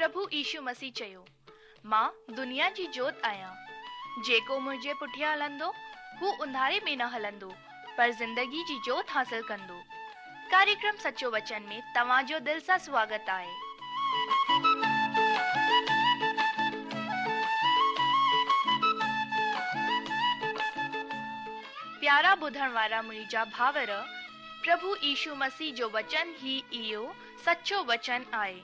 پرڀو يشو مسيح چيو، مان دنيا جي جوت آهيان. جيڪو منهنجي پٺيان هلندو، هو اونڌاري ۾ نه هلندو، پر زندگي جي جوت حاصل ڪندو. ڪاريڪرم سچو وچن ۾ توهان جو دل سان سواگت آهي. پيارا ٻڌڻ وارا منهنجا ڀائر، پرڀو يشو مسيح جو وچن ئي اهو سچو وچن آهي،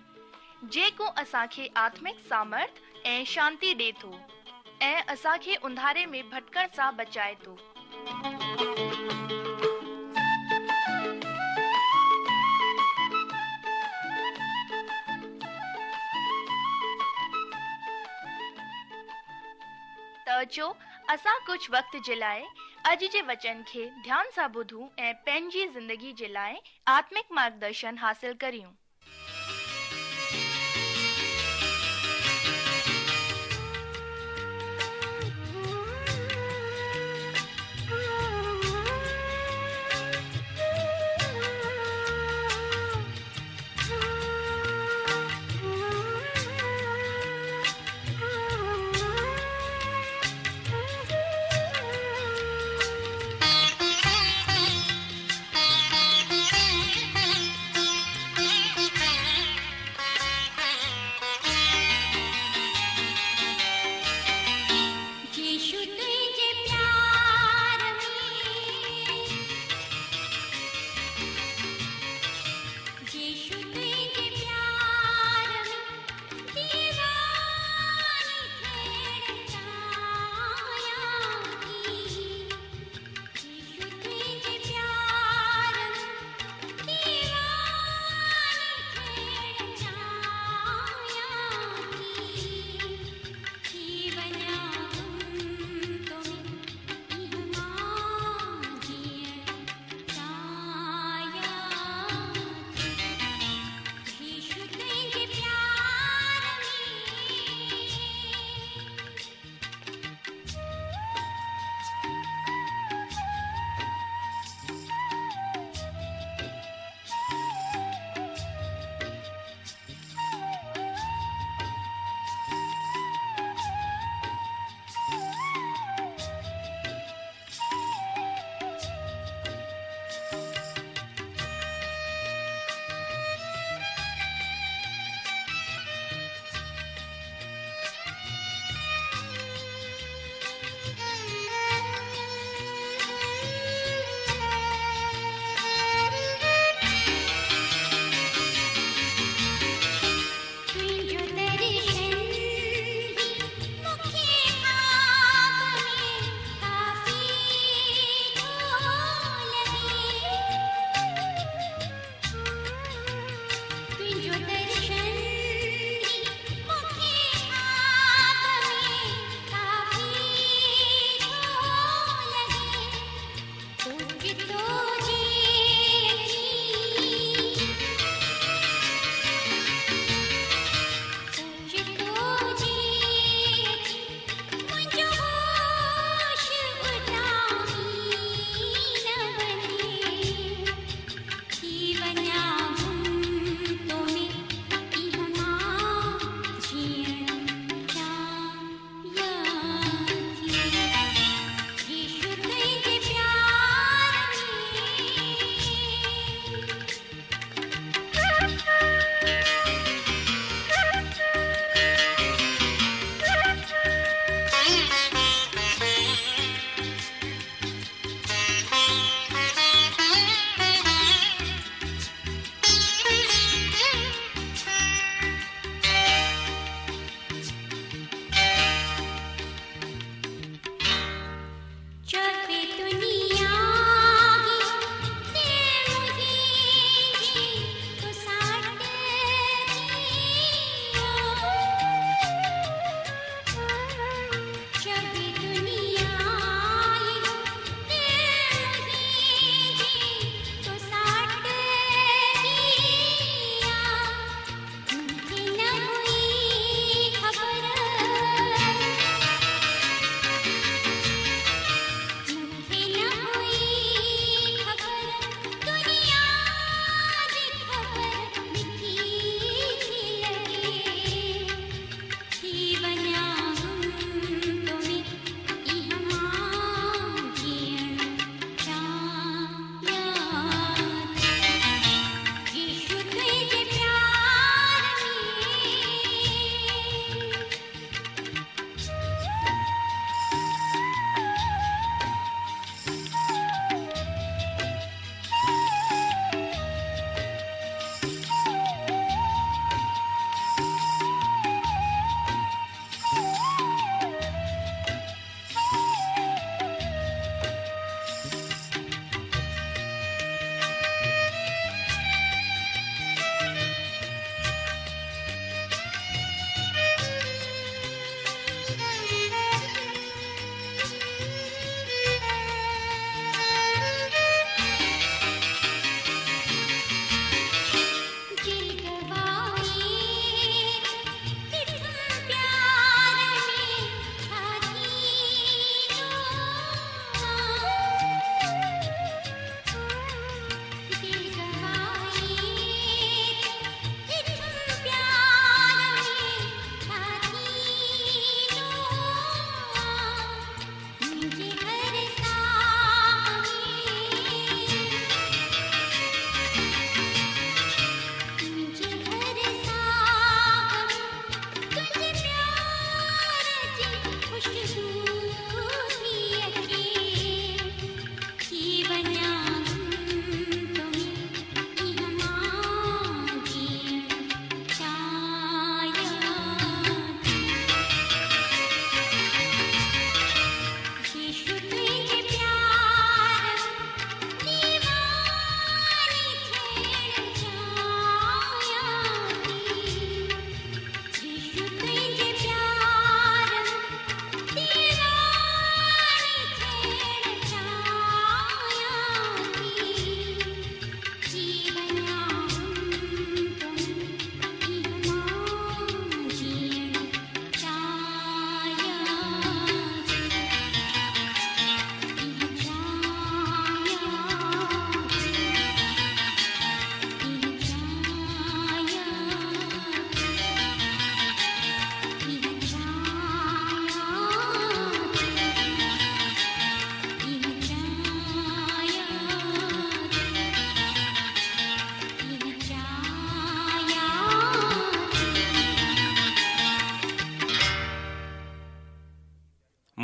جيڪو اسان کي آتمڪ سامرٿ ۽ شانتي ڏي ٿو ۽ اسان کي اونڌاري ۾ ڀٽڪڻ سان بچائي ٿو. ته اچو اسان ڪجهه وقت جي لاء اڄ جي وچن کي ڌيان سان ٻڌون ۽ پنهنجي زندگي جي لاء آتمڪ مارگدرشن حاصل ڪريون. يشو تنهنجي پيار ۾، يشو تنهنجي پيار ۾، ديواني ٿيڻ چاهيان ٿي. يشو تنهنجي پيار ۾، ديواني ٿيڻ چاهيان ٿي. ٿي وڃان گم تو ۾ اها مان جيئڻ چاهيان ٿي. يشو تنهنجي پيار ۾. تنهنجو درشن ئي مون کي خواب ۾ ڪافي ٿو لڳي. تنهنجو درشن ئي مون کي خواب ۾ ڪافي ٿو لڳي. اوچتو جي اچي، اوچتو جي اچي، منهنجو هوش اڏامي نه وڃي. ٿي وڃان گم تو ۾ اها مان جيئڻ چاهيان ٿي. يشو تنهنجي پيار ۾. چوي دنيا هي دل منهنجي تو سان.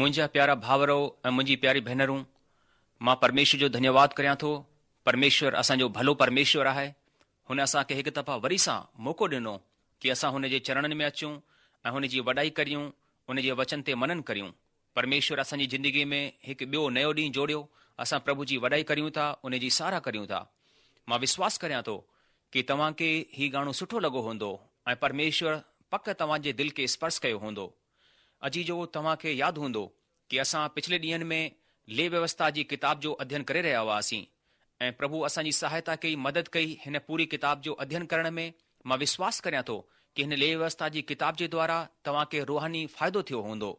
منهنجا پيارا ڀائرو ۽ منهنجي پياري ڀينرون، مان پرميشور جو ڌنيواد ڪريان ٿو. پرميشور اسان جو ڀلو پرميشور آهي. هن اسان کي هڪ دفعا وري سان موقعو ڏنو ڪي اسان هن جي چرڻن ۾ اچون ۽ هن جي وڏائي ڪريون، ان جي وچن تي منن ڪريون. پرميشور اسان جي زندگيء ۾ هڪ ٻيو نيو ڏينهن جوڙيو، اسان پرڀو جي وڏائي ڪريون ٿا، ان جي ساراهه ڪريون ٿا. مان وشواس ڪريان ٿو ڪي توهان کي هي گاڻو سٺو لڳو هوندو ۽ پرميشور پڪ توهان جي دل کي اسپرش ڪيو هوندو. عزيزو توهان کي ياد هوندو ڪي اسان پڇلي ڏينهن ۾ ليويوسٿا جي ڪتاب جو اڌين ڪري رهيا هئاسين ۽ پرڀو اسان جي سهائتا ڪئي مدد ڪئي هن پوري ڪتاب جو اڌين ڪرڻ ۾ مان وشواس ڪريان ٿو ڪي هن ليويوسٿا جي ڪتاب جي دوارا توهان کي روحاني فائدو ٿيو هوندو.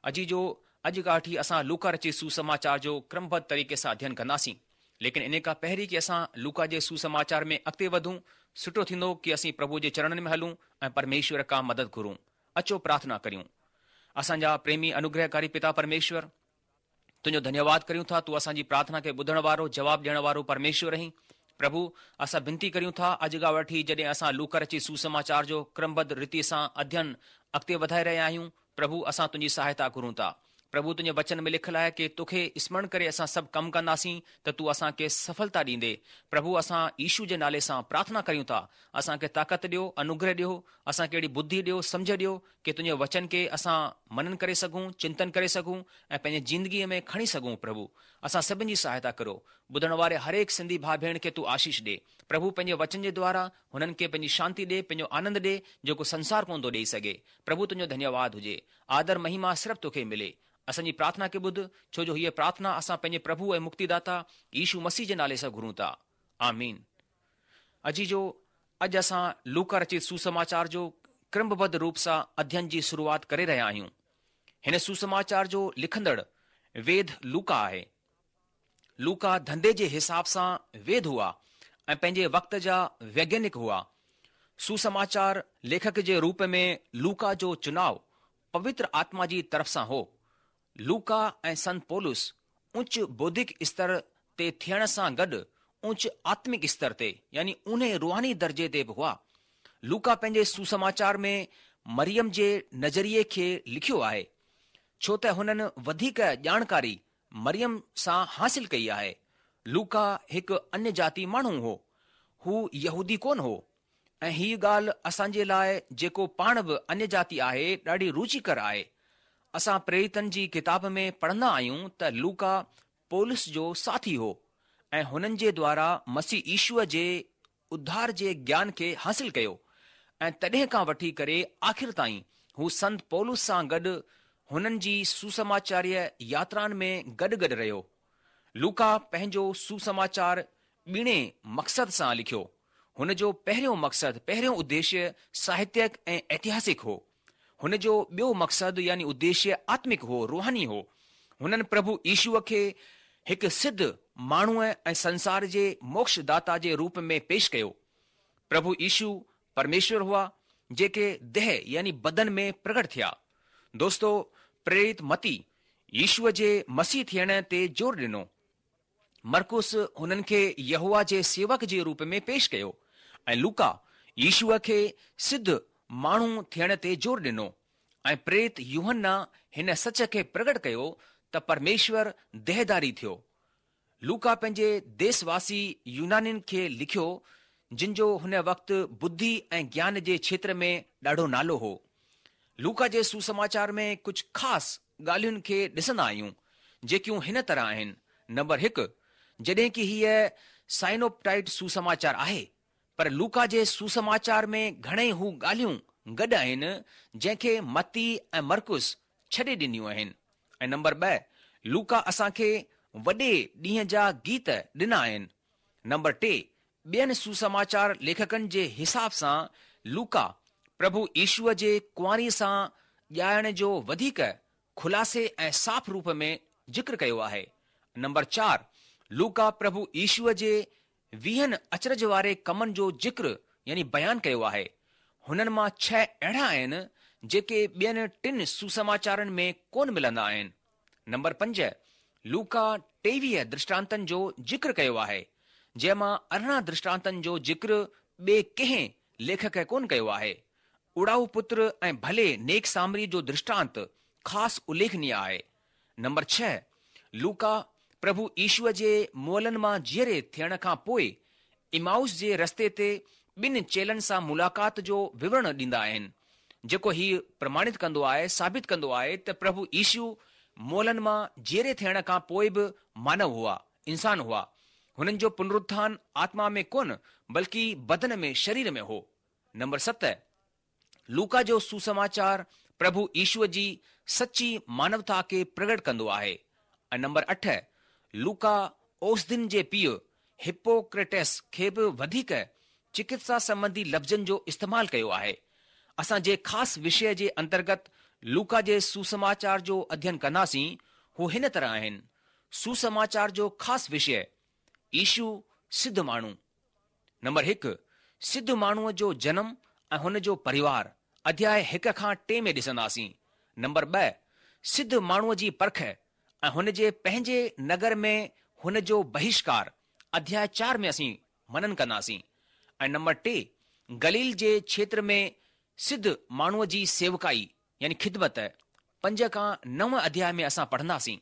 عزيزو اڄ کان وٺي اسان لوڪا رچت سوسماچار جو ڪرمبڌ طريقي سان اڌين ڪنداسين. ليڪن انهي کان پهرين ڪي اسان لوڪا جي سوسماچار ۾ اڳتي وڌون سٺو ٿيندو ڪي اسين پرڀو جي چرڻن ۾ هلون ۽ پرميشور کان مدد گهرون. اچو پرارٿنا ڪريون. اسان جا پريمي انوگرهڪاري پتا پرميشور، تنهنجو ڌنيواد ڪريون ٿا، تون اسان جي پرارٿنا کي ٻڌڻ وارو، جواب ڏيڻ وارو پرميشور آهين. پرڀو، اسان بنتي ڪريون ٿا، اڄ کان وٺي جڏهن اسان لوڪا رچت سوسماچار جو ڪرمبڌ ريتي سان اڌين اڳتي وڌائي رهيا آهيون، پرڀو، اسان تنهنجي سهائتا گهرون ٿا. پرڀو، تنهنجي وچن ۾ لکيل آهي ڪي توکي اسمرڻ ڪري اسان سڀ ڪم ڪنداسين ته تون اسان کي سڦلتا ڏيندي. پرڀو، اسان يشو جي نالي سان پرارٿنا ڪريون ٿا، اسان کي طاقت ڏيو، انوگره ڏيو، اسان کي اهڙي ٻڌي ڏيو، سمجهه ڏيو، ڪي تنهنجي وچن کي اسان منن ڪري سگهون، چنتن ڪري سگهون ۽ پنهنجي زندگيء ۾ کڻي سگهون پرڀو اسان سڀن جي سهائتا ڪرو. ٻڌڻ واري هرهڪ سنڌي ڀاء ڀيڻ کي تون آشيش ڏي. پرڀو پنهنجي وچن جي دوارا هنن کي پنهنجي شانتي ڏي، پنهنجو آنند ڏي جيڪو سنسار ڪونه ٿو ڏيئي سگهي. پرڀو تنهنجو ڌنيواد هجي. آدر مهما صرف توکي ملي. اسان جي پرارٿنا کي ٻڌ، ڇو جو هيء پرارٿنا اسان پنهنجي پرڀو ۽ مڪتيداتا يشو مسيح جي نالي سان گهرون ٿا. آمين. عزيزو اڄ اسان لوڪا رچت سوسماچار جو ڪرمبڌ روپ سان اڌين جي شروعات ڪري رهيا آهيون. هن سوسماچار جو لکندڙ ويد لوڪا آهي. لوڪا ڌنڌي جي حساب سان ويد هئا ۽ پنهنجي وقت جا ويگيانڪ هئا. سوسماچار ليکڪ جي روپ ۾ لوڪا جو چناء پوتر آتما جي طرف سان هو. لوڪا ۽ سنت پولس اچ بوڌڪ استر تي ٿيڻ سان گڏ اچ آتمڪ استر تي يعني اونهي روحاني درجي تي به هئا. لوڪا پنهنجي سوسماچار ۾ مريم جي نظريي کي لکيو آهي، ڇو ته هنن وڌيڪ ڄاڻڪاري مريم سان حاصل ڪئي آهي. لوڪا هڪ انيه جاتي ماڻهو هو. هو يهودي ڪونه هو. ۽ هيء ڳالهه اسان جي لاء جيڪو پاڻ به انيه جاتي آهي ڏاڍي روچيڪر آهي. اسان پريريتن جي ڪتاب ۾ پڙهندا آهيون ته لوڪا پولس جو ساٿي هو ۽ هنن جي دوارا مسيح يشوع جي اڌار جي گيان کي حاصل ڪيو ۽ تڏهن کان وٺي ڪري آخر تائين هو سنت پولس سان گڏ هنن جي سوسماچاريه ياترائن ۾ گڏ گڏ رهيو. لوڪا پنهنجو سوسماچار ٻيڻي مقصد سان لکيو. هن جو پهريون مقصد، پهريون اديشيه ساهتيڪ ۽ ائتهاسڪ هو. هن جو ٻيو مقصد يعني اديشيه آتمڪ هو، روحاني هو. هنن پرڀو يشوع کي هڪ سڌ ماڻهوء ۽ سنسار جي موڪش داتا جي روپ ۾ پيش ڪيو. پرڀو يشوع پرميشور هئا، جيڪي ديهه يعني بدن ۾ پرگٽ ٿيا. دوستو، پريرت متي يشوع جي مسيح ٿيڻ تي زور ڏنو. مرقس هنن کي يهوه جي سيوڪ جي روپ ۾ پيش ڪيو ۽ لوڪا يشوع کي سڌ ماڻهو ٿيڻ تي زور ڏنو ۽ پريرت يوحنا هن سچ کي پرگٽ ڪيو ته پرميشور ديهداري ٿيو. لوڪا پنهنجي ديس واسي يونانين کي لکيو جن جو هن وقت ٻڌي ۽ گيان جي کيتر ۾ ڏاڍو نالو هو. لوڪا جي سوسماچار ۾ ڪجهه خاص ڳالهين کي ڏسندا آهيون، جيڪيون هن طرح آهن، نمبر هڪ، جڏهن ڪي هيء سائنوپٽائيٽ سوسماچار آهي، پر لوڪا جي سوسماچار ۾ گهڻئي هو ڳالهيون گڏ آهن، جنهن کي متي ۽ مرقس ڇڏي ڏنيون آهن ۽ نمبر ٻه، لوڪا اسان کي وڏي ڏينهن جا گيت ڏنا آهن. نمبر ٽي، ٻين سوسماچار ليکڪن جي حساب سان لوڪا پرڀو يشوع جي ڪنواري سان ڄائڻ جو وڌيڪ خلاصي ۽ صاف روپ ۾ ذڪر ڪيو آهي. نمبر چار، لوڪا پرڀو يشوع جي ويهن اچرج واري ڪمن جو ذڪر يعني بيان ڪيو آهي. هنن مان ڇهه اهڙا آهن جيڪي ٻين ٽن سوسماچارن ۾ ڪونه ملندا آهن. نمبر پنج، لوڪا 23 درشٽانتن جو ذڪر ڪيو آهي، جنهن مان 18 درشٽانتن جو ذڪر ٻئي ڪنهن ليکڪ ڪونه ڪيو آهي. اڙائو پتر ۽ ڀلي نيڪ سامري جو درشٽانت خاص اليکنيه آهي. نمبر ڇهه، لوڪا پرڀو يشوء جي مئلن مان جيئري ٿيڻ کان پوء عمائوس جي رستي تي ٻن چيلن سان ملاقات جو وورڻ ڏيندا آهن، جيڪو هي پرماڻت ڪندو آهي، ثابت ڪندو آهي ته پرڀو يشو مئلن مان جيئري ٿيڻ کان پوء به مانو هئا، انسان هئا. هنن جو پنرٿان آتما ۾ ڪونه بلڪه بدن ۾، شرير ۾ هو. نمبر ست، لوڪا جو سوسماچار پرڀو يشوء جي سچي مانوتا کي پرگٽ ڪندو آهي ۽ نمبر اٺ، لوڪا اوسڌين جي پيء هپوڪريٽس کي به وڌيڪ چڪتسا سنٻنڌي لفظن جو استعمال ڪيو آهي. اسان جنهن خاص وشيه جي انترگت لوڪا جي سوسماچار جو اڌين ڪنداسين هو هن طرح آهن، سوسماچار جو خاص وشيه، يشو سڌ ماڻهو. نمبر هڪ، سڌ ماڻهوء جو جنم ۽ هن جو پريوار، اڌياء هڪ کان ٽي ۾ ڏسنداسين. نمبر ٻه، سڌ ماڻهوء جي پرک ۽ هن جي پنهنجي نگر ۾ هن جو بهشڪار، اڌياء چار ۾ اسين منن ڪنداسين. ۽ نمبر ٽي، گليل جي ڇيتر ۾ سڌ ماڻهوء جي سيوڪائي يعني خدمت، پنج کان نو اڌياء ۾ اسان پڙهنداسين.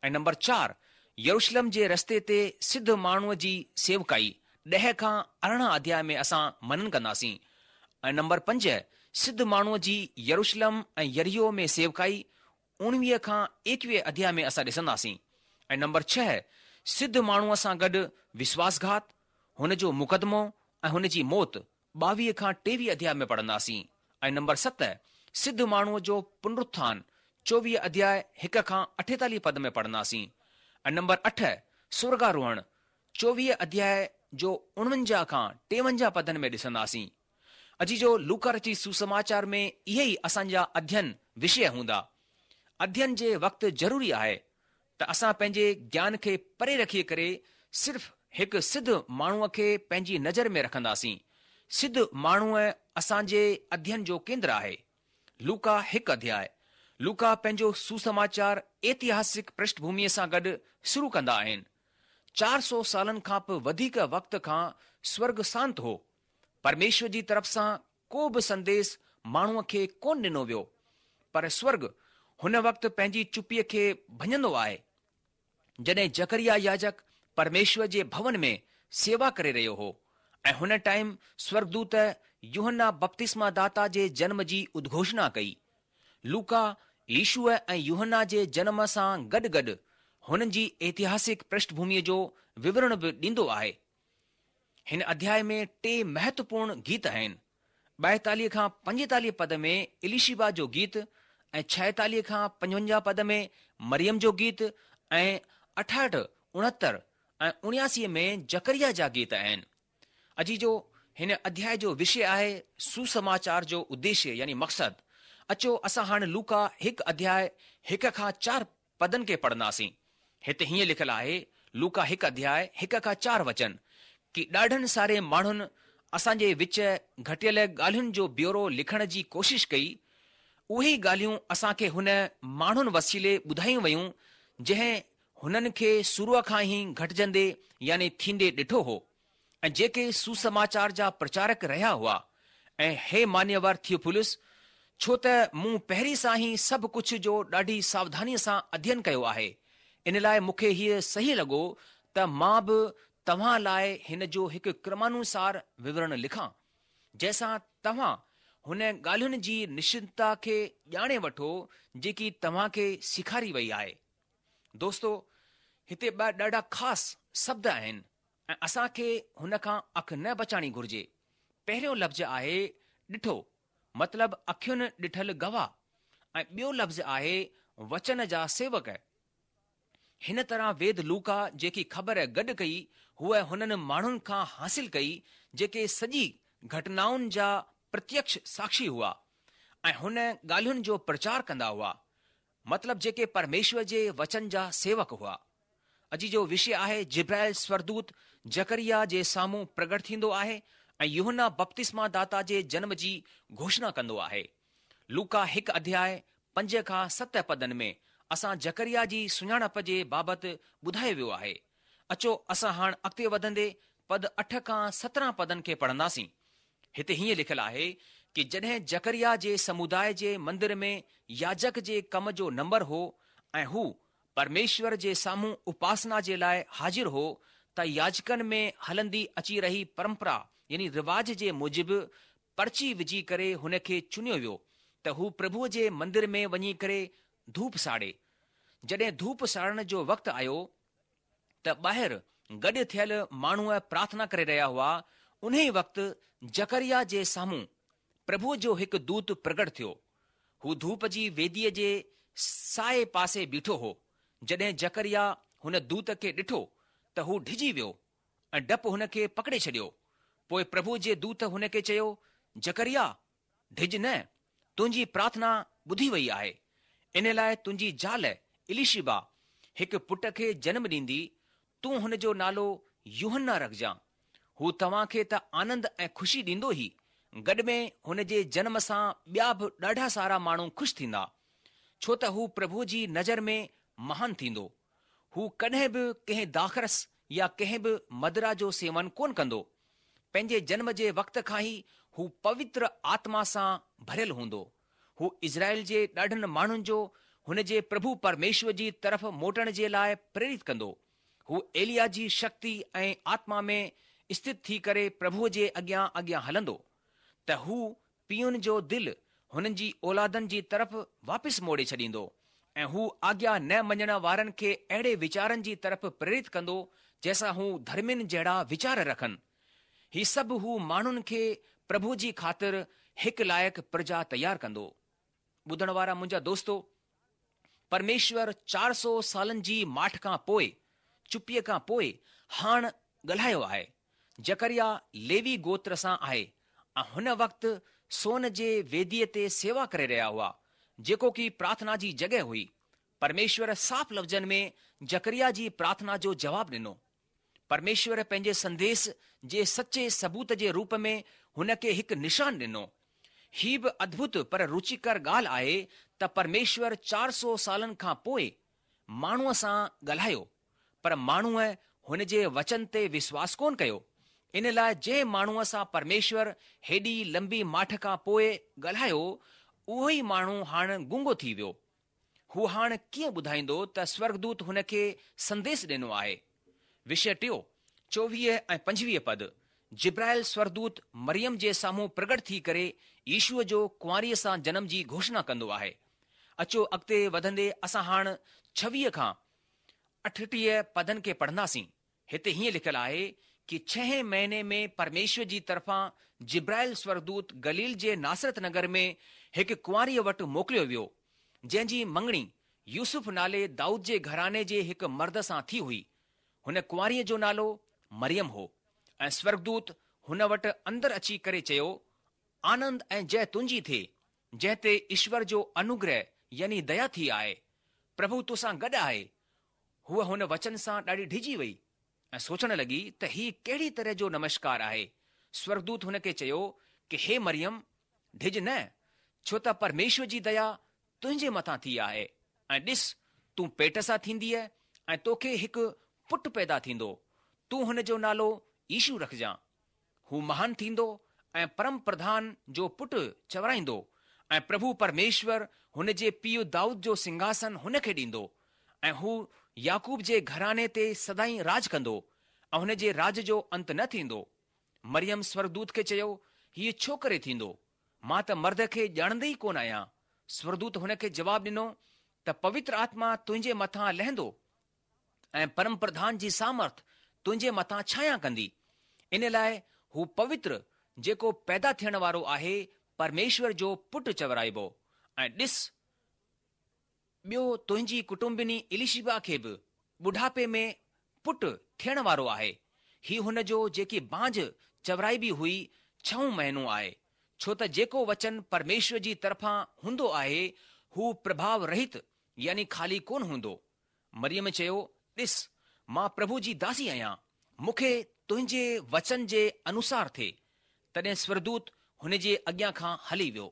۽ نمبر چار، يروشلم جي رستي تي سڌ ماڻهوء جي سيوڪائي، ڏهه کان 18 اڌياء ۾ اسان منن ڪنداسين. ۽ نمبر پنج، سڌ ماڻهوء جي يروشلم ۽ يريحو ۾ سيوڪائي، اوڻويهه کان ايڪويهه اڌياء ۾ اسان ڏسنداسين. ۽ نمبر ڇهه، سڌ ماڻهوء سان گڏ وشواس گهات، هن جو مقدمو ۽ هن جي موت، 22 کان 23 اڌياء ۾ پڙهنداسين ۽ نمبر ست سڌ ماڻهوء جو پنرٿان 24 اڌياء هڪ کان 48 پد ۾ پڙهنداسين ۽ نمبر اٺ سورڳاروهڻ 24 اڌياء جو 49 کان 53 پدن ۾ ڏسنداسين. عزيزو لوڪا رچت سوسماچار ۾ اهي ئي اسان جا اڌين وشيه هوندا. اڌين جي وقت ضروري آهي ته اسان پنهنجي گيان کي پري رکي ڪري صرف هڪ سڌ ماڻهوء کي پنهنجي نظر ۾ رکنداسين. سڌ ماڻهوء اسان جي اڌين جو ڪيندر آهي. لوڪا هڪ اڌياء. لوڪا پنهنجو سوسماچار ايتهاسڪ پرشٺ ڀوميء سان گڏ شروع ڪندا آهن. 400 سالن کان به وڌيڪ وقت کان سورڳ سانت هو. پرميشور جي طرف سان ڪو به سنديس ماڻهوء کي ڪونه ڏنو ويو، پر سورڳ هن وقت پنهنجي چپيء کي ڀڃندو آهي، جڏهن زڪريا ياجڪ پرميشور جي ڀون ۾ سيوا ڪري رهيو هو ۽ هن ٽائيم سورڳدوت يوحنا بپتسما داتا جي جنم جي ادگهوشڻا ڪئي. لوڪا يشوع ۽ يوحنا جي جنم سان گڏ گڏ هنن جي ايتهاسڪ پرشٺ ڀوميء جو وورڻ به ڏيندو آهي. هن اڌياء ۾ ٽي مهتوپورڻ گيت آهن. 42 کان 45 پد ۾ اليشبا جو گيت ۽ 46 کان 55 پد ۾ مريم جو گيت ۽ 68، 69 ۽ 79 ۾ زڪريا جا گيت آهن. عزيزو هن اڌياء جو وشي آهي سوسماچار جو اديشيه يعني مقصد. اچو اسان هاڻ لوڪا هڪ اڌياء هڪ کان چار پدن کي پڙهنداسين. هتي هيئن لکيل آهي، لوڪا هڪ اڌياء هڪ کان چار وچن، ڪي ڏاڍن ساري ماڻهن اسان جي وچ گهٽيل ڳالهين جو بيورو لکڻ جي ڪوشش ڪئي، اهي ئي ڳالهيون اسان کي هن ماڻهن وسيلي ٻڌايون ويون، جنهن هنن کي شروع کان ئي گهٽجندي يعني ٿيندي ڏٺو هو. ۽ جيڪي سوسماچار جا پرچارڪ رهيا هئا، ۽ هي مانيور ٿيوفلس، ڇو ته مون پهرين سان ئي سڀ ڪجهه جو ڏاڍي ساوڌانيء سان اڌين ڪيو آهي، ان لاء مون کي هيء صحيح لڳو ته مان به توهان لاء هن جو هڪ ڪرمانوسار وورڻ لکان، جنهن سان توهان هن ڳالهين جي نشچتتا کي ڄاڻي وٺو جيڪي توهان کي سيکاري وئي آهي. دوستو، هتي ٻه ڏاڍا خاص شبد آهن ۽ اسان کي هن کان اک نه بچائڻي گهرجي. پهريون لفظ آهي ڏٺو مطلب اکين ڏٺل گواهه ۽ ٻيو لفظ آهي وچن جا سيوڪ. هن طرح ويد لوڪا جيڪي خبر گڏ ڪئي هوء هنن ماڻهن کان حاصل ڪئي جيڪي سڄي گهٽنائن جا پرتيڪش ساکشي هئا ۽ هن ڳالهين جو پرچار ڪندا هئا مطلب جيڪي پرميشور جي وچن جا سيوڪ هئا. عزيزو وشي آهي جبرائيل سورڳدوت زڪريا جي سامهون پرگٽ ٿيندو آهي ۽ يوحنا بپتسما داتا جي جنم جي گهوشڻا ڪندو آهي. لوڪا هڪ اڌياء پنج کان ست پدن ۾ اسان زڪريا جي سڃاڻپ جي بابت ٻڌايو ويو آهي. اچو اسان هاڻ اڳتي وڌندي پد اٺ کان 17 پدن کي پڙهنداسين. هتي هيئن لکيل آهي ڪي جڏهن زڪريا جي سموداء جي مندر ۾ ياجڪ جي ڪم جو نمبر هو ۽ هو. پرميشور جي سامهون اپاسنا جي لاء حاضر هو ته ياجڪن ۾ هلندي اچي رهي پرمپرا يعني رواج جي موجب پرچي وجهي ڪري هن کي چنيو ويو ته هو پرڀوء جي مندر ۾ وڃي ڪري ڌوپ ساڙي. جڏهن ڌوپ ساڙڻ جو وقت آيو ته ٻاهر گڏ ٿيل ماڻهو پرارٿنا ڪري رهيا هئا، انهي وقت زڪريا جي سامهون پرڀوء جو هڪ دوت پرگٽ ٿيو. هو ڌوپ جي ويديء جي سائي پاسي بيٺو هو. جڏهن زڪريا هن دوت کي ڏٺو ته هو ڊڄي ويو ۽ ڊپ هن کي پڪڙي ڇڏيو. پوء پرڀوء جي دوت هن کي چيو، زڪريا! ڊڄ نه، تنهنجي پرارٿنا ٻڌي وئي آهي. ان لاء تنهنجي زال اليشبع هڪ پٽ کي جنم ڏيندي، تون هن جو نالو يوحنا رکجان. هو توهان کي ته آنند ۽ خوشي ڏيندو ئي، گڏ ۾ هن جي جنم سان ٻيا به ڏاڍا سارا ماڻهو خوش ٿيندا، ڇو ته هو پرڀوء جي نظر ۾ مهان ٿيندو. هو ڪڏهن به ڪنهن داخرس يا ڪنهن به مدرا جو سيون ڪونه ڪندو. پنهنجي جنم جي وقت کان ئي هو پوتر آتما سان ڀريل هوندو. هو اسرائيل جي ڏاڍن ماڻهن جو هن جي پرڀو پرميشور جي طرف موٽڻ جي لاء پريرت ڪندو. هو ايليا جي شڪتي ۽ آتما ۾ اسٿت ٿي ڪري پرڀوء جي اڳيان اڳيان هلندو، ته هو پيئن جو دل هنن جي اولادن جي طرف واپس موڙي ڇڏيندو ۽ هو آگيا نه مڃڻ وارن کي اهڙي ويچارن جي طرف پريرت ڪندو جنهن سان هو ڌرمين جهڙا ويچار رکن. هي سڀ هو ماڻهن کي پرڀوء جي خاطر هڪ لائق پرجا تيار ڪندو. ٻڌڻ وارا منهنجا دوستو! پرميشور 400 سالن جي ماٺ کان پوء، چپيء کان پوء، هاڻ ڳالهايو آهي. زڪريا ليوي گوتر سان آهي ۽ هن وقت سون جي ويديء تي سيوا ڪري رهيا هئا، جيڪو ڪي پرارٿنا جي جڳهه هئي. پرميشور صاف لفظن ۾ زڪريا جي پرارٿنا جو جواب ڏنو. پرميشور پنهنجي سنديس جي سچي ثبوت جي روپ ۾ هن کي هڪ نشان ڏنو. هي به ادڀت پر روچيڪر ڳالهه آهي ته پرميشور 400 سالن کان پوء ماڻهوء سان ڳالهايو، پر ماڻهوء هن جي وچن تي وشواس ڪونه ڪيو. ان لاء جنهن ماڻهوء سان پرميشور هيڏي لنبي ماٺ کان پوء ڳالهايو، اهو ئي ماڻهو هاڻ گونگو ٿي ويو. هو هاڻ ڪيئن ٻڌائيندو ته سورڳدوت هن کي سنديس ڏنو آهي؟ وشيه ٽيون، 24 ۽ 25 پد، جبرائيل سورڳدوت مريم جي سامهون پرگٽ ٿي ڪري يشوع جو ڪنواريء سان جنم جي گهوشڻا ڪندو آهي. اچو اڳتي وڌندي اسان هاڻ 26 کان 38 پدن کي پڙهنداسين. هتي هيئن لکيل آهي ڪي ڇهين مهيني ۾ پرميشور جي طرفان جبرائيل سورڳدوت گليل جي ناصرت نگر ۾ هڪ ڪنواريء وٽ موڪليو ويو، جنهن جي مڱڻي يوسف نالي دائود جي گهراڻي جي هڪ مرد سان ٿي هئي. هن ڪنواريء جو نالو مريم هو. ۽ سورڳدوت هن وٽ اندر اچي ڪري چيو، آنند ۽ جئه تنهنجي ٿئي، جنهن تي ايشور جو انوگره يعني ديا ٿي آهي. پرڀو توسان گڏ آهي. هوء هن وچن سان ڏاڍي ڊڄي وئي ۽ سوچڻ لڳي ته هي ڪهڙي طرح جو نمشڪار آهي. سورڳدوت هن کي چيو ڪي هي مريم، ڊڄ نه، ڇو ته پرميشور جي ديا تنهنجي مٿان ٿي آهي ۽ ڏس، تون پيٽ سان ٿينديء ۽ توکي هڪ پٽ پيدا ٿيندو، تون هن جو نالو يشو رکجان. هو مهان ٿيندو ۽ پرم پرڌان جو پٽ چورائيندو ۽ پرڀو پرميشور هن جي پيء دائود جو سنگهاسن هن کي ڏيندو ۽ هو يعقوب جي گهراڻي تي سدائين راڄ ڪندو ۽ هن جي راڄ جو انت نه ٿيندو. مريم سورڳدوت کي چيو، هيء ڇو ڪري ٿيندو؟ مان ته مرد کي ڄاڻندي ئي ڪونه آهيان. سورڳدوت هن کي جواب ڏنو ته پوتر آتما تنهنجي مٿان لهندو ۽ پرم پرڌان جي سامرٿ تنهنجي مٿان ڇايا ڪندي، ان لاء هو پوتر جيڪو پيدا ٿيڻ وارو آهي پرميشور جو پٽ چورائبو ۽ ڏس، ٻيو تنهنجي ڪٽنبني اليشبع کي به ٻڍاپي ۾ پٽ ٿيڻ وارو آهي، هي هن جو جيڪي بانجه چورائبي هئي ڇهون مهينو آهي، ڇو ته جيڪو وچن پرميشور جي طرفان هوندو آهي هو پرڀاو رهت يعني خالي ڪونه هوندو. مريم چيو، ڏس، مان پرڀو جي داسي آهيان، مون کي تنهنجي وچن جي انوسار ٿئي. تڏهن سورڳدوت هن جي اڳيان کان هلي ويو.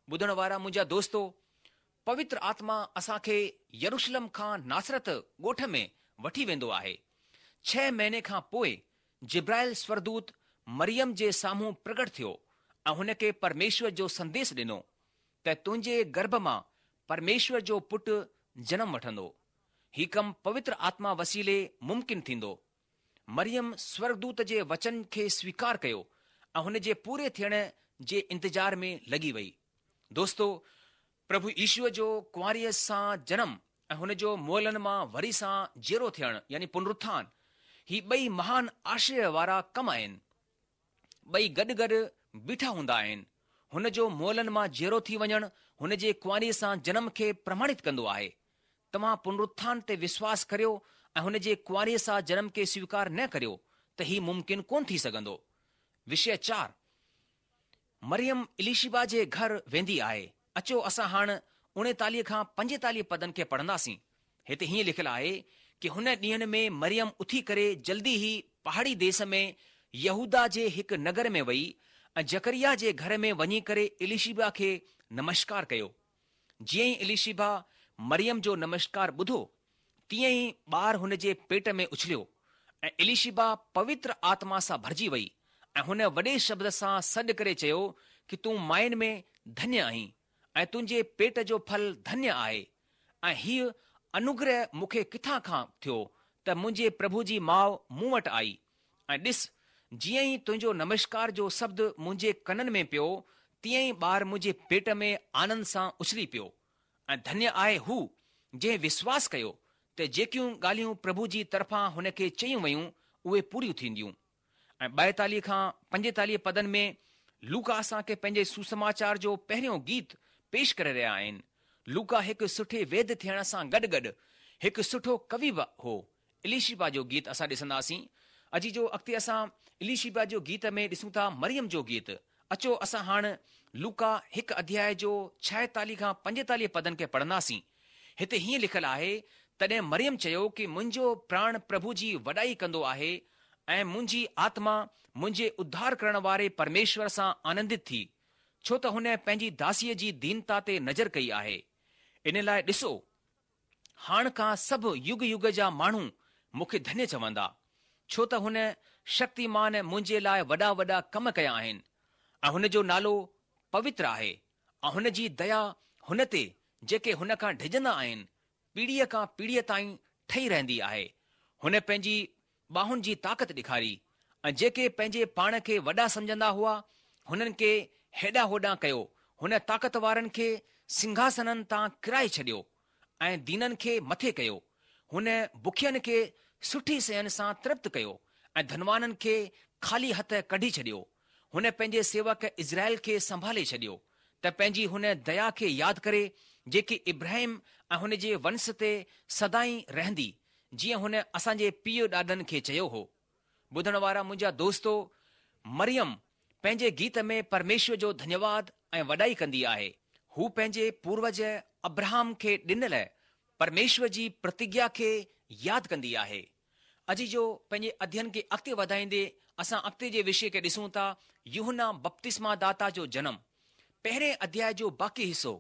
ٻڌڻ وارا منهنجا دوستو، پوتر آتما اسان کي يروشلم کان ناصرت ڳوٺ ۾ وٺي ويندو آهي. ڇهه مهيني کان پوء جبرائيل سورڳدوت مريم جي سامهون پرگٽ ٿيو ۽ هن کي پرميشور جو سنديس ڏنو ته تنهنجي گرڀ مان پرميشور جو پٽ جنم وٺندو. هي ڪم پوتر آتما وسيلي ممڪن ٿيندو. مريم سورڳدوت جي وچن کي سويڪار ڪيو ۽ هن جي پوري ٿيڻ جي انتظار ۾ لڳي وئي. دوستو! پرڀو يشوء جو ڪنواريء سان جنم ۽ هن جو مئلن مان وري سان جيئرو ٿيڻ يعني پنرٿان، هي ٻئي مهان آشچريه وارا ڪم آهن. ٻئي گڏ گڏ بيٺا هوندا آهن. هن جو مئلن مان جيئرو ٿي وڃڻ هن جي ڪنواريء سان جنم کي پرماڻت ڪندو آهي. توهان پنرٿان تي وشواس ڪريو ۽ هن جي ڪنواريء سان جنم کي سويڪار نه ڪريو ته هي ممڪن ڪونه ٿي سگهندو. وشيه چار. مريم اليشبا جي گهر ويندي آهي. اچو اسان هاڻ اوڻيتاليهه کان پنجيتاليهه پدن کي پڙهنداسين. هتي هيئن لکيل آهي ڪي هن ڏينهن ۾ مريم اٿي ڪري جلدي ئي پهاڙي ديس ۾ يهوداه جي هڪ نگر ۾ وئي ۽ زڪرياه جي گهر ۾ وڃي ڪري اليشبا کي نمشڪار ڪيو. جيئن ئي اليشبا مريم جو نمشڪار ٻڌو، تيئن ئي ٻار هن جي پيٽ ۾ اڇليو ۽ اليشبا پوتر آتما سان ڀرجي وئي ۽ هن وڏي شبد سان سڏ ڪري چيو ڪي تون ماين ۾ ڌنيه آهين ۽ تنهنجي پيٽ جو ڦل ڌنيه آهي ۽ هيء انوگره مون کي ڪٿان کان ٿيو ته منهنجي پرڀو جي ماء مون وٽ آئي ۽ ڏس، جيئن ئي تنهنجو نمشڪار جو شبد منهنجي ڪنن ۾ پيو، تيئن ئي ٻار منهنجي پيٽ ۾ آنند سان اڇلي پيو. ۽ ڌنيه آهي هو، جنهن وشواس ڪيو ته جيڪيون ڳالهيون پرڀو جي طرفان هن کي چيون ويون، اهي پوريون ٿينديون. ۽ 42 کان 45 پدن ۾ لوڪا اسان کي پنهنجي سوسماچار جو پهريون گيت پيش ڪري رهيا آهن. لوڪا هڪ سٺي ويد ٿيڻ سان گڏ گڏ هڪ سٺو ڪوي به هو. اليشبا جو گيت اسان ڏسنداسين. عزيزو اڳتي اسان اليشبا جو گيت ۾ ڏسون ٿا مريم جو گيت. اچو اسان هاڻ لوڪا هڪ اڌياء جو 46 کان 45 پدن کي پڙهنداسين. هتي هيئن لکيل آهي، تڏهن مريم چيو ڪي منهنجو پراڻ پرڀو جي وڏائي ڪندو آهي ۽ منهنجي آتما منهنجي اڌار ڪرڻ واري پرميشور سان آنندت ٿي، ڇو ته هن پنهنجي داسيء جي دينتا تي نظر ڪئي آهي. ان لاء ڏسو، هاڻ کان سڀ يگ يگ جا ماڻهو مون کي ڌنيه چوندا، ڇو ته هن شڪتيمان منهنجي لاء وڏا وڏا ڪم ڪيا آهن ۽ هن جو نالو پوتر آهي ۽ هن جي ديا هن تي جيڪي هن کان ڊڄندا آهن، پيڙهيء کان پيڙهيء تائين ٺهي رهندي آهي. هن پنهنجي ٻانهن جي طاقت ڏيکاري ۽ جيڪي پنهنجي پاڻ کي وڏا سمجهندا هئا، هنن کي هيڏانهن هوڏانهن ڪيو. هن طاقت وارن کي سنگهاسنن تان ڪرائي ڇڏيو ۽ دينن کي مٿي ڪيو. هن بکين کي سٺي شين سان ترپت ڪيو ۽ ڌنوانن کي خالي هٿ ڪڍي ڇڏيو. هن پنهنجي سيوڪ اسرائيل کي سنڀالي ڇڏيو ته پنهنجي هن ديا کي ياد ڪري جيڪي ابراهيم ۽ هن جي ونس تي سدائين رهندي، جيئن هن اسان جي پيء ڏاڏن کي چيو هو. ٻڌڻ وارا منهنجا دوستو، مريم پنهنجي گيت ۾ پرميشور جو ڌنيواد ۽ وڏائي ڪندي آهي. هو پنهنجي پوروج ابراهام کي ڏنل پرميشور جي پرتگيا کي ياد ڪندي آهي. عزيزو پنهنجي اڌين کي اڳتي وڌائيندي اسان اڳتي جي وشي کي ڏسون ٿا يوحنا بپتسما داتا جو جنم. پهرين اڌياء جو باقي حصو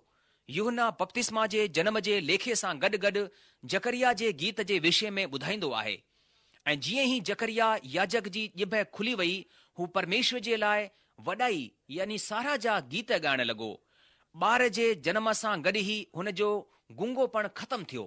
يوحنا بپتسما جي جنم جي ليکي سان گڏ گڏ زڪريا جي گيت جي وشي ۾ ٻڌائيندو آهي. ۽ جيئن ئي زڪريا ياجڪ جي ڄڀ کلي وئي هو پرميشور جي لاء وڏائي يعني ساراهه جا گيت ڳائڻ لڳو. ٻار جي جنم سان گڏ ئي هن جو گونگوپڻ ختم ٿيو.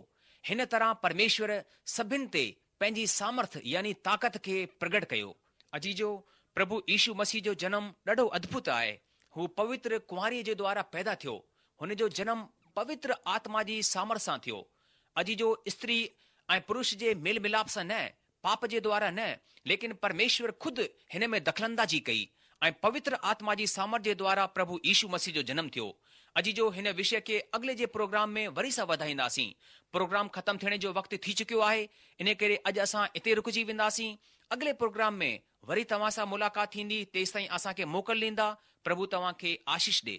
هن طرح پرميشور سڀن تي پنهنجي سامرٿ يعني طاقت کي پرگٽ ڪيو. عزيزو، پرڀو يشو مسيح جو جنم ڏاڍو ادڀت آهي. هو پوتر ڪنواريء جي دوارا پيدا ٿيو. هن جو جنم پوتر آتما جي سامرٿ سان ٿيو. عزيزو، استري ۽ پرش جي ميل ملاپ سان نه، پاپ جي دوارا نه، ليڪن پرميشور خود هن ۾ دخل اندازي ڪئي ۽ پوتر آتما جي سامرٿ جي دوارا پرڀو يشو مسيح جو جنم ٿيو. عزيزو هن وشي کي اڳلي جي پروگرام ۾ وري سان وڌائينداسين. پروگرام ختم ٿيڻ جو وقت ٿي چڪيو آهي انهي ڪري اڄ اسان اتي رڪجي وينداسين. اڳلي پروگرام ۾ وري توهان سان ملاقات ٿيندي تيستائين اسان کي موڪل ڏيندا پرڀو توهان کي آشيش ڏي.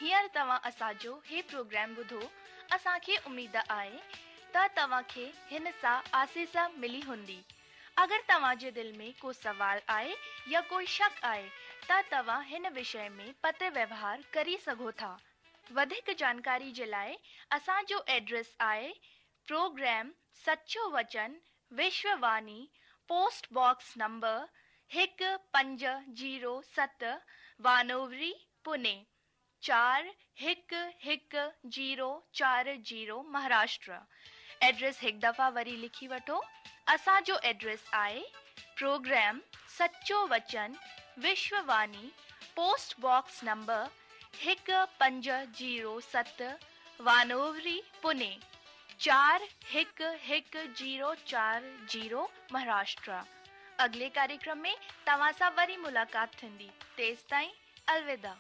هينئر توهان اسان جو هي پروگرام ٻڌو اسان کي اميد آهي ته توهان کي هن سان آسيس ملي هوندي. اگر توهان جي دل ۾ ڪو سوال آهي يا ڪوئي شڪ آهي ته توهان هن وشي ۾ پتر ويوهار ڪري سگهو ٿا. وڌيڪ جانڪاري جي لاء اسان جو ايڊريس آهي. پروگرام سچو وچن Vishwavani post box number 1507 Wanowrie Pune 411040 Maharashtra address هڪ دفعا وري لکي وٺو اسان جو ايڊريس آهي پروگرام سچو وچن Vishwavani post box number 1507 Wanowrie Pune 411040 Maharashtra اڳلي ڪاريڪرم ۾ توهان سان وري ملاقات ٿيندي تيستائين الوداع.